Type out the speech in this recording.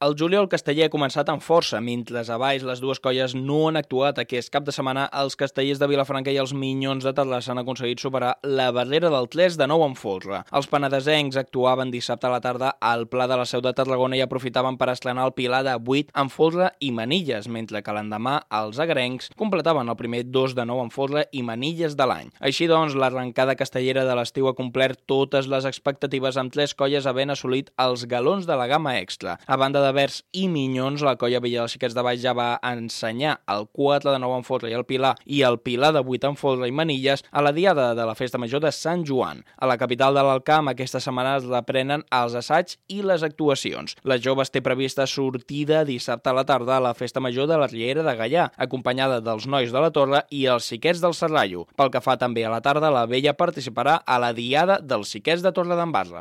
El juliol casteller ha començat amb força, mentre a baix les dues colles no han actuat. Aquest cap de setmana els castellers de Vilafranca i els Minyons de Terrassa han aconseguit superar la barrera del 3 de 9 en folre. Els penedesencs actuaven dissabte a la tarda al Pla de la Seu de Tarragona i aprofitaven per estrenar el Pilar de 8 en folre i manilles, mentre que l'endemà els agrencs completaven el primer 2 de 9 en folre i manilles de l'any. Així doncs, l'arrencada castellera de l'estiu ha complert totes les expectatives amb 3 colles havent assolit els galons de la gamma extra. A banda de Verds i Minyons, la colla Villa dels Xiquets de Baix ja va ensenyar el 4 de 9 en folre i el Pilar de 8 en folre i manilles a la diada de la Festa Major de Sant Joan. A la capital de l'Alcamp aquesta setmana es reprenen els assaigs i les actuacions. Les joves té prevista sortida dissabte a la tarda a la Festa Major de la Riera de Gaià, acompanyada dels nois de la Torre i els xiquets del Serrallo. Pel que fa també a la tarda, la vella participarà a la diada dels xiquets de Torredembarra.